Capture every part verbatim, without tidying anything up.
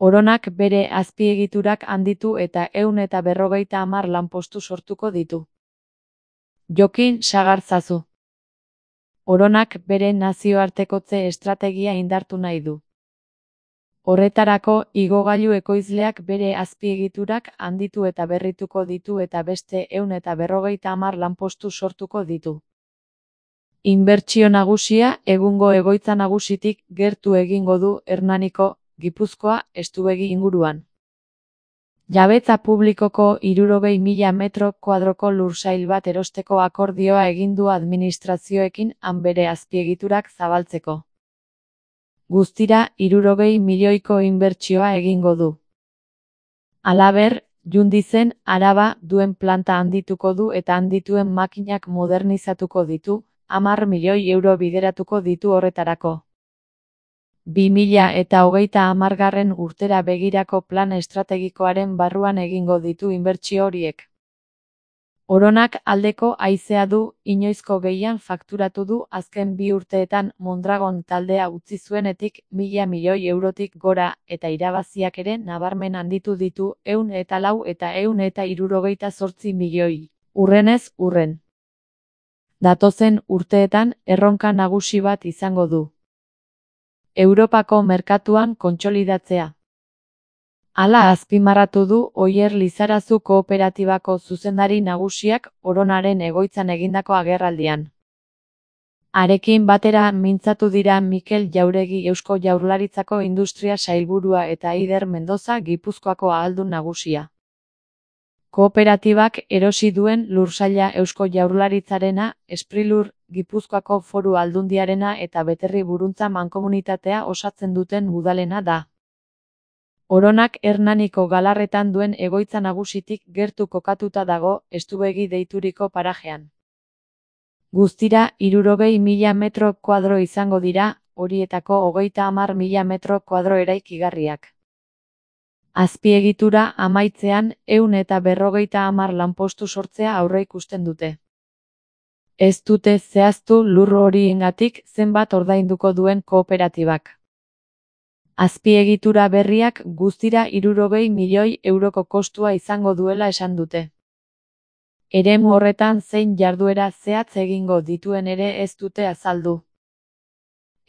Oronak bere azpiegiturak handitu eta ehun eta berrogeita hamar lanpostu sortuko ditu. Jokin Sagartzazu. Oronak bere nazioartekotze estrategia indartu nahi du. Horretarako, igogailu ekoizleak bere azpiegiturak handitu eta berrituko ditu eta beste ehun eta berrogeita hamar lanpostu sortuko ditu. Inbertsio nagusia egungo egoitza nagusitik gertu egingo du Hernaniko, Gipuzkoa, Estuegi inguruan. Jabetza publikoko hirurogei mila metro kuadroko lursail bat erosteko akordioa egin du administrazioekin han bere azpiegiturak zabaltzeko. Guztira hirurogei milioiko inbertsioa egingo du. Halaber, Jundizen Araba duen planta handituko du eta handituen makinak modernizatuko ditu, hamar milioi euro bideratuko ditu horretarako. bi mila eta hogeita hamargarren urtera begirako plan estrategikoaren barruan egingo ditu inbertsio horiek. Oronak aldeko haizea du, inoizko gehien fakturatu du azken bi urteetan Mondragon taldea utzi zuenetik mila milioi eurotik gora eta irabaziak ere nabarmen handitu ditu ehun eta lau eta ehun eta hirurogeita zortzi milioi, hurrenez hurren. Datozen urteetan erronka nagusi bat izango du. Europako merkatuan kontsolidatzea. Hala azpimarratu du Oier Lizarazu kooperatibako zuzendari nagusiak Oronaren egoitzan egindako agerraldian. Harekin batera mintzatu dira Mikel Jauregi Eusko Jaurlaritzako Industria Sailburua eta Eider Mendoza Gipuzkoako ahaldun nagusia. Kooperatibak erosi duen lursaila Eusko Jaurlaritzarena, Sprilur, Gipuzkoako Foru Aldundiarena eta Beterri Buruntza Mankomunitatea osatzen duten udalena da. Oronak Hernaniko Galarretan duen egoitza nagusitik gertu kokatuta dago, Estuegi deituriko parajean. Guztira hirurogei mila metro kuadro izango dira, horietako hogeita hamar mila metro kuadro eraikigarriak. Azpiegitura amaitzean ehun eta berrogeita hamar lanpostu sortzea aurreikusten dute. Ez dute zehaztu lur horiengatik zenbat ordainduko duen kooperatibak. Azpiegitura berriak guztira hirurogei milioi euroko kostua izango duela esan dute. Eremu horretan zein jarduera zehatz egingo dituen ere ez dute azaldu.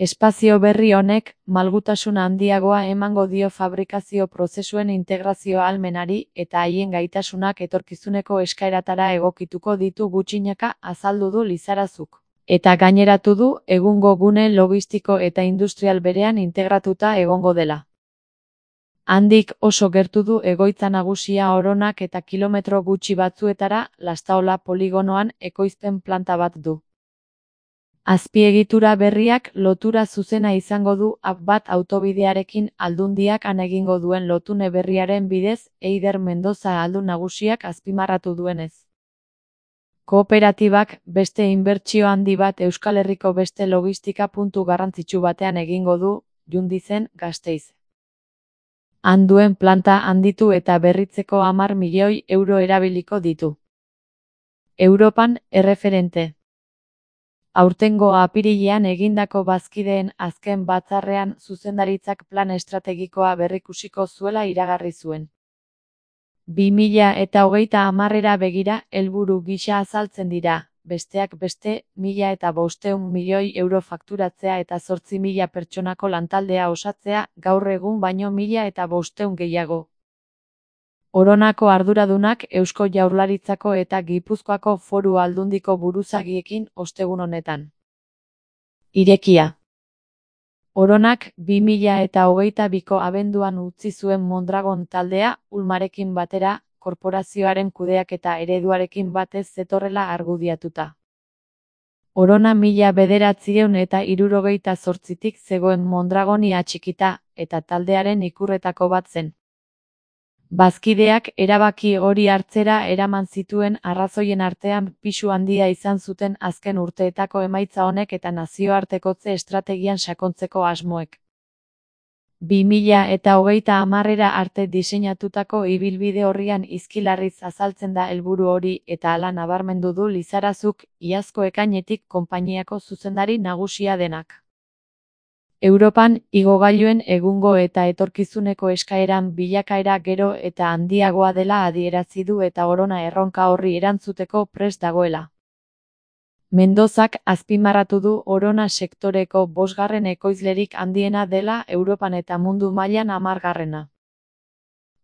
Espazio berri honek malgutasun handiagoa emango dio fabrikazio prozesuen integrazio ahalmenari eta haien gaitasunak etorkizuneko eskaeratara egokituko ditu gutxinaka azaldu du Lizarazuk. Eta gaineratu du egungo gune logistiko eta industrial berean integratuta egongo dela. Handik oso gertu du egoitza nagusia Oronak eta kilometro gutxi batzuetara Lastaola poligonoan ekoizpen planta bat du. Azpiegitura berriak lotura zuzena izango du A P bat autobidearekin Aldundiak han egingo duen lotune berriaren bidez, Eider Mendoza ahaldun nagusiak azpimarratu duenez. Kooperatibak beste inbertsio handi bat Euskal Herriko beste logistika puntu garrantzitsu batean egingo du, Jundizen, Gasteiz. Han duen planta handitu eta berritzeko hamar milioi euro erabiliko ditu. Europan erreferente. Aurtengo apirilean egindako bazkideen azken batzarrean zuzendaritzak plan estrategikoa berrikusiko zuela iragarri zuen. bi mila eta hogeita hamarrera begira helburu gisa azaltzen dira, besteak beste, mila eta bostehun milioi euro fakturatzea eta zortzi mila pertsonako lantaldea osatzea, gaur egun baino mila eta bostehun gehiago. Oronako arduradunak Eusko Jaurlaritzako eta Gipuzkoako Foru Aldundiko buruzagiekin ostegun honetan. Irekia. Oronak bi mila eta hogeita biko abenduan utzi zuen Mondragon taldea, Ulmarekin batera, korporazioaren kudeaketa ereduarekin batez zetorrela argudiatuta. Orona mila bederatziehun eta hirurogeita zortzitik zegoen Mondragoni atxikita, eta taldearen ikurretako bat zen. Bazkideak erabaki hori hartzera eraman zituen arrazoien artean pisu handia izan zuten azken urteetako emaitza honek eta nazioartekotze estrategian sakontzeko asmoek. bi mila eta hogeita hamarrera arte diseinatutako ibilbide horrian izkilarriz azaltzen da helburu hori eta hala nabarmendu du Lizarazuk, iazko ekainetik konpainiako zuzendari nagusia denak. Europan igogailuen egungo eta etorkizuneko eskaeran bilakaera gero eta handiagoa dela adierazi du eta Orona erronka horri erantzuteko prest dagoela. Mendozak azpimarratu du Orona sektoreko bosgarren ekoizlerik handiena dela Europan eta mundu mailan hamargarrena.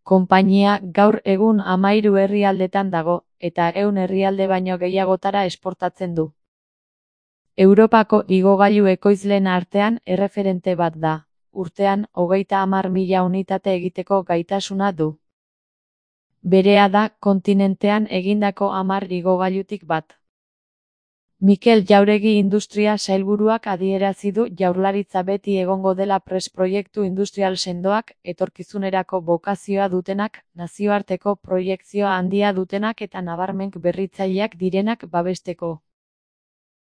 Konpainia gaur egun hamahiru herrialdetan dago, eta ehun herrialde baino gehiagotara esportatzen du. Europako igogailu ekoizleen artean erreferente bat da, urtean hogeita hamar mila unitate egiteko gaitasuna du. Berea da kontinentean egindako hamar igogailutik bat. Mikel Jauregi industria sailburuak adierazi du Jaurlaritza beti egongo dela prest proiektu industrial sendoak, etorkizunerako bokazioa dutenak, nazioarteko proiekzio handia dutenak eta nabarmen berritzaileak direnak babesteko.